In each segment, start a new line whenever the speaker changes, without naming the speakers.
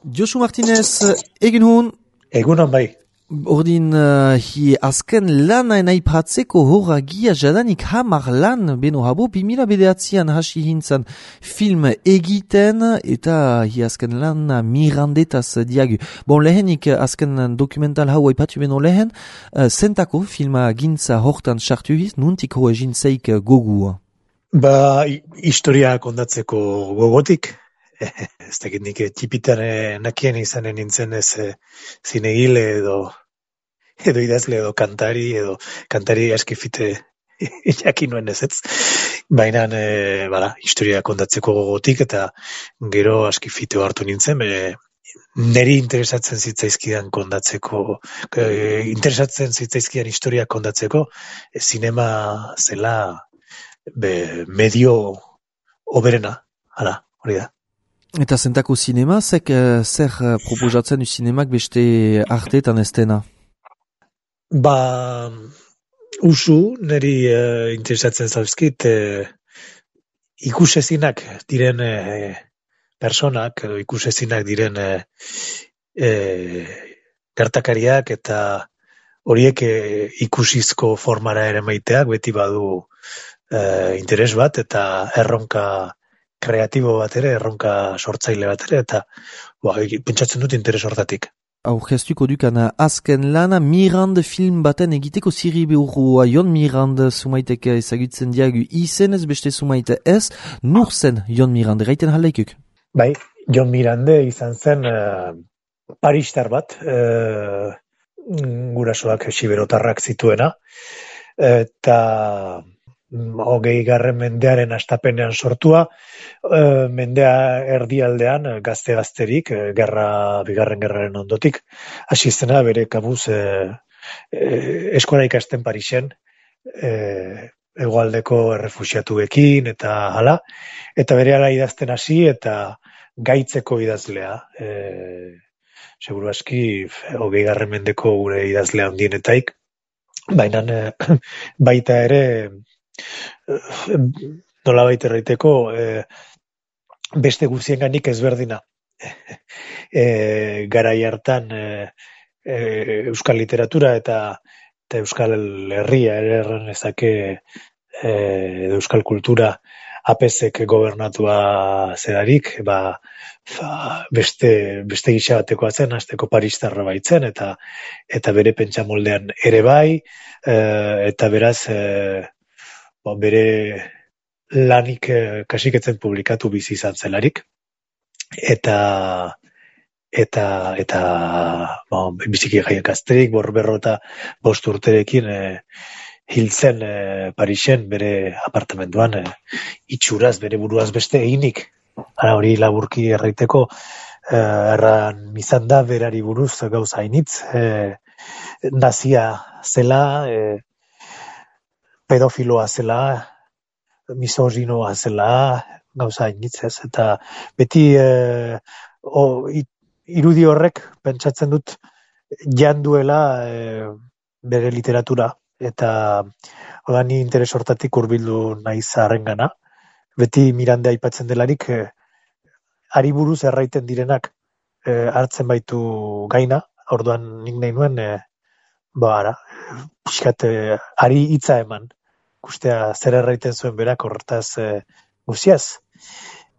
Josu Martinez, egin hun,
Egunon bai.
ordin hi azken lana aipatzeko horragia jadanik hamar lan beno habo 2009an hasi hintzan film egiten eta hi azken lana mirandetaz diagu. Bon, lehenik azken dokumental hau aipatu beno lehen, zentako filma gintza hortan sartu hiz, nuntik hoa jintzeik gogu?
Ba, historia kondatzeko gogotik. Ez dakit nik tipitan nakien izanen nintzen ez zinegile edo idazle edo kantari askifite jakin nuen ez. Baina, historia kondatzeko gogotik eta gero askifite hartu nintzen, neri interesatzen zitzaizkidan historia kondatzeko, zinema zela medio oberena, hori da.
Eta zentako zinema, zer proposatzen du zinemak beste arteetan ez dena?
Ba, usu, niri interesatzen zauzkit, ikusezinak diren personak, edo ikusezinak diren gertakariak eta horiek ikusizko formara ere maiteak, beti badu interes bat eta erronka kreatibo bat ere, erronka sortzaile bat ere, eta pentsatzen dut interes hortatik.
Aurkeztuko dukana azken lana Mirand film baten egiteko ziri behurua Jon Mirand sumaiteke ezagutzen diagu izenez beste sumaite ez, nur zen Jon Mirand, gaiten jaleikuk?
Bai, Jon Mirande izan zen paristar bat, gurasoak siberotarrak zituena, eta 20. mendearen hastapenean sortua, mendea erdialdean gazte-gazterik, bigarren gerraren ondotik, hasi zena bere kabuz eskola ikasten Parisen, hegoaldeko errefuxiatuekin eta hala, eta bere hala idazten hasi eta gaitzeko idazlea. Seguru aski 20. mendeko gure idazlea handienetaik, baina baita ere nolabait erraiteko beste guztienganik ezberdina. Garai hartan euskal literatura eta euskal herria ere erran ezake euskal kultura APSek gobernatua zerarik, beste gisa batekoa zen, hasteko paristarra baitzen, eta bere pentsamoldean ere bai, eta beraz bere lanik kasiketzen publikatu bizi izan zelarik, eta biziki jaiak azterik, 45 urterekin hiltzen Parisen bere apartamentuan, itxuraz, bere buruaz beste eginik. Hori laburki erraiteko, erran izan da berari buruz gauza hainitz, nazia zela, pedofiloa zela, misoginoa zela, gauza hainitz ez, eta beti irudi horrek pentsatzen dut janduela bere literatura, eta ni interes hortatik hurbildu naiz harrengana. Beti Miranda aipatzen delarik, ari buruz erraiten direnak hartzen baitu gaina, orduan nik nahi nuen, pixkat ari hitza eman, ikustea zer erraiten zuen berak horretaz guziaz,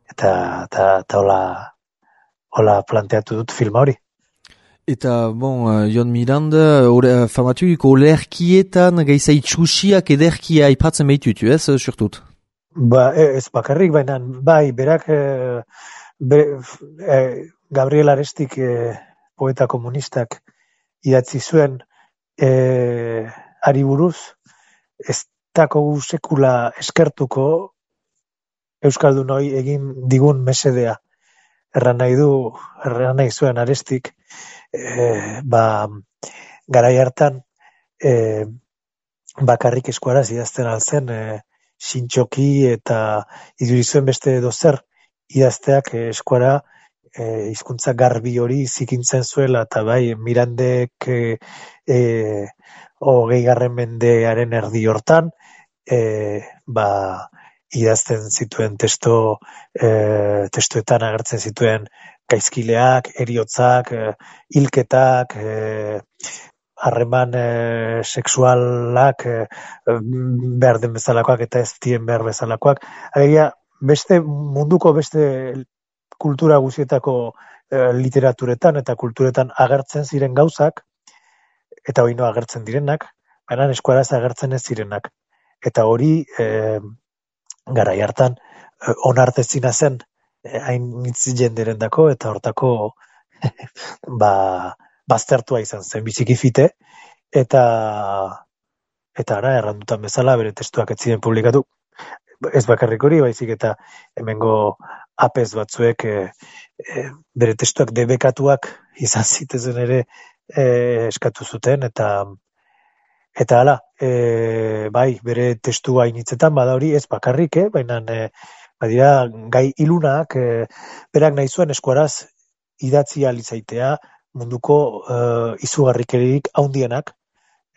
eta hola planteatu dut filma hori.
Eta, Jon Miranda, famatuik olerkietan gaiza itxusiak ederkia aipatzen behitutu, ez, surtut?
Ez bakarrik, baina bai, berak Gabriel Arestik poeta komunistak idatzi zuen ari buruz, ez dako sekula eskertuko euskaldunoi egin digun mesedea. Erran nahi zuen Arestik, garai hartan bakarrik eskuaraz idazten altzen, sintxoki eta idurizuen beste dozer idazteak eskuara hizkuntza garbi hori zikintzen zuela, eta bai, Mirandek 20. mendearen erdi hortan, idazten zituen testuetan agertzen zituen gaizkileak, heriotzak, hilketak, harreman sexualak behar den bezalakoak eta ez dien behar bezalakoak. Alegia, munduko beste kultura guztietako literaturetan eta kulturetan agertzen ziren gauzak, eta hori no agertzen direnak, baina eskuaraz agertzen ez zirenak. Eta hori garai hartan onartezina zen hain hitz jenderendako eta hortako baztertua izan zen biziki fite eta ara errandutan bezala bere testuak ez ziren publikatu. Ez bakarrik hori, baizik eta hemengo apez batzuek bere testuak debekatuak izan zitezen ere eskatu zuten eta hala, bai, bere testua initzetan bada hori ez bakarrik, baina badira gai ilunak, berak nahi zuen eskuaraz idatzi ahal izaitea munduko izugarrikerik haundienak,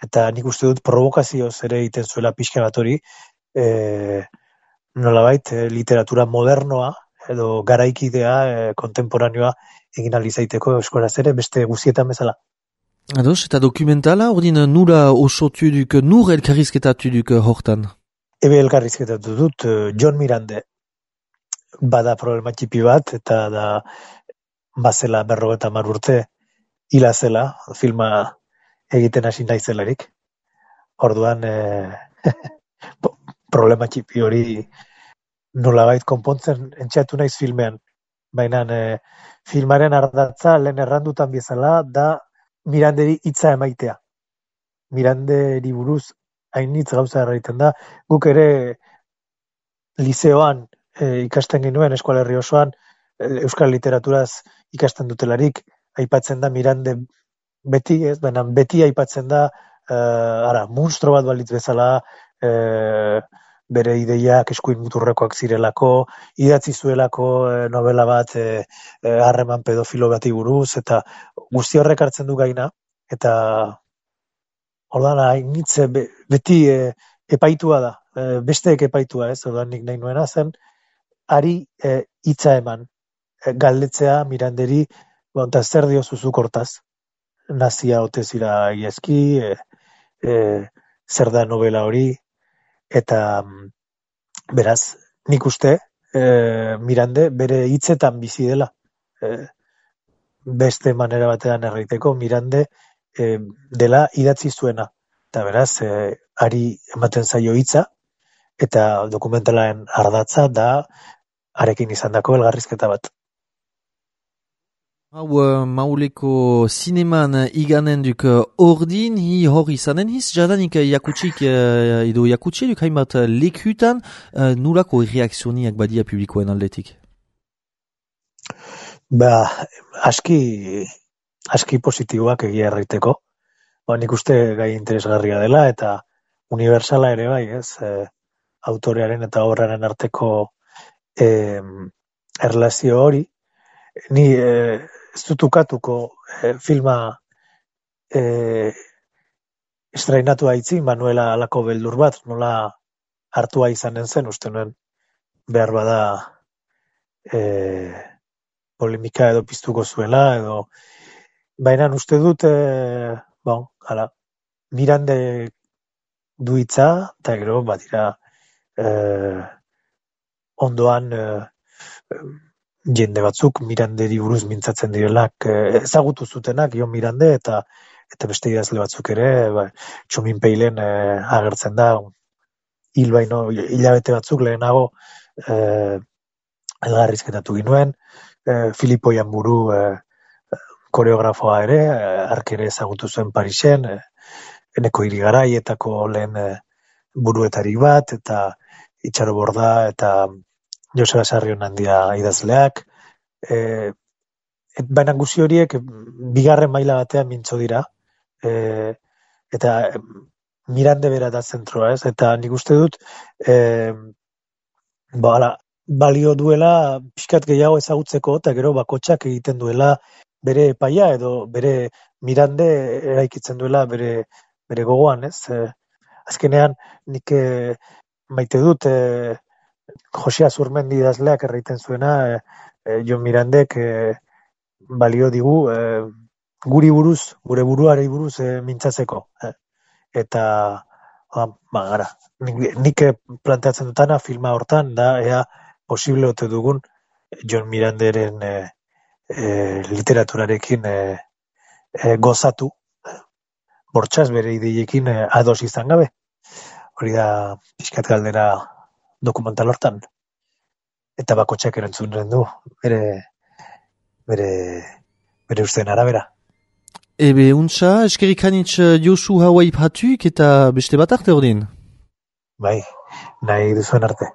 eta nik uste dut provokazioz ere egiten zuela pixka bat hori, nolabait literatura modernoa edo garaikidea kontemporaneoa egin ahal izaiteko eskuaraz ere beste guztietan bezala.
Ados, eta dokumentala, ordin nura osotu duk, nur elkarrizketatu duk hortan?
Ebe elkarrizketatu dut, John Mirande bada problema txipi bat, eta da bazela 50 urte hila zela, filma egiten hasi naizelarik. Orduan, problema txipi hori nolabait konpontzen entxatu naiz filmean. Baina filmaren ardatza lehen errandutan bezala da Miranderi hitza emaitea. Miranderi buruz hainitz gauza erraiten da. Guk ere lizeoan ikasten ginuen Eskola Herri osoan euskal literaturaz ikasten dutelarik aipatzen da Mirande beti, ez? Baina beti aipatzen da monstro bat balitz bezala, bere ideiak eskuin muturrekoak zirelako, idatzi zuelako novela bat harreman pedofilo bati buruz, eta guzti horrek hartzen du gaina, eta ordan hainitze beti epaitua da, besteek epaitua, ez? Ordan nik nahi nuena zen, ari hitza eman, galdetzea Miranderi, eta zer diozuzuk hortaz, nazia ote zira egiazki, zer da novela hori, eta beraz, nik uste Mirande bere hitzetan bizi dela. Beste manera batean erraiteko Mirande dela idatzi zuena. Eta beraz, ari ematen zaio hitza, eta dokumentalaren ardatza da arekin izandako elgarrizketa bat.
Hau mauleko zineman iganen duk ordin, hi hor izanen hiz, jadanik jakutsik edo jakutsi duk hainbat lekutan, nurako reakzioniak badia publikoen aldetik?
Aski positiboak egia erraiteko. Nik uste gai interesgarria dela, eta universala ere bai, ez? Autorearen eta obraren arteko erlazio hori. Ni ez dut ukatuko filma estrainatu haitzi, Manuela alako beldur bat, nola hartua izanen zen, uste nuen behar bada polemika edo piztuko zuela, edo baina uste dut Mirande du hitza, eta gero badira ondoan jende batzuk Miranderi buruz mintzatzen direlak ezagutu zutenak Jon Mirande eta beste idazle batzuk ere, Txomin Peilen agertzen da, hilabete batzuk lehenago elgarrizketatu ginuen, Filipo Janburu koreografoa ere, hark ere ezagutu zuen Parisen, Eneko Irigaraietako lehen buruetarik bat, eta Itxaro Borda, eta Joseba Sarrionandia idazleak, baina guzi horiek bigarren maila batean mintzo dira, eta Mirande bera da zentroa, ez? Eta nik uste dut balio duela pixkat gehiago ezagutzeko, eta gero bakotxak egiten duela bere epaia, edo bere Mirande eraikitzen duela bere gogoan, ez? Azkenean nik maite dut Jose Azurmendi idazleak erraiten zuena, Jon Mirandek balio digu guri buruz, gure buruari buruz mintzatzeko. Eta gara, nik planteatzen dutana filma hortan da ea posible ote dugun Jon Miranderen literaturarekin gozatu, bortxaz bere ideiekin ados izan gabe. Hori da pixkat galdera dokumental hortan. Eta bakotxak erantzunen du, bere usteen arabera.
Ebe, untsa, eskerik hanitz Josu Hawaii Patuk eta beste bat arte ordin.
Bai, nahi duzuen arte.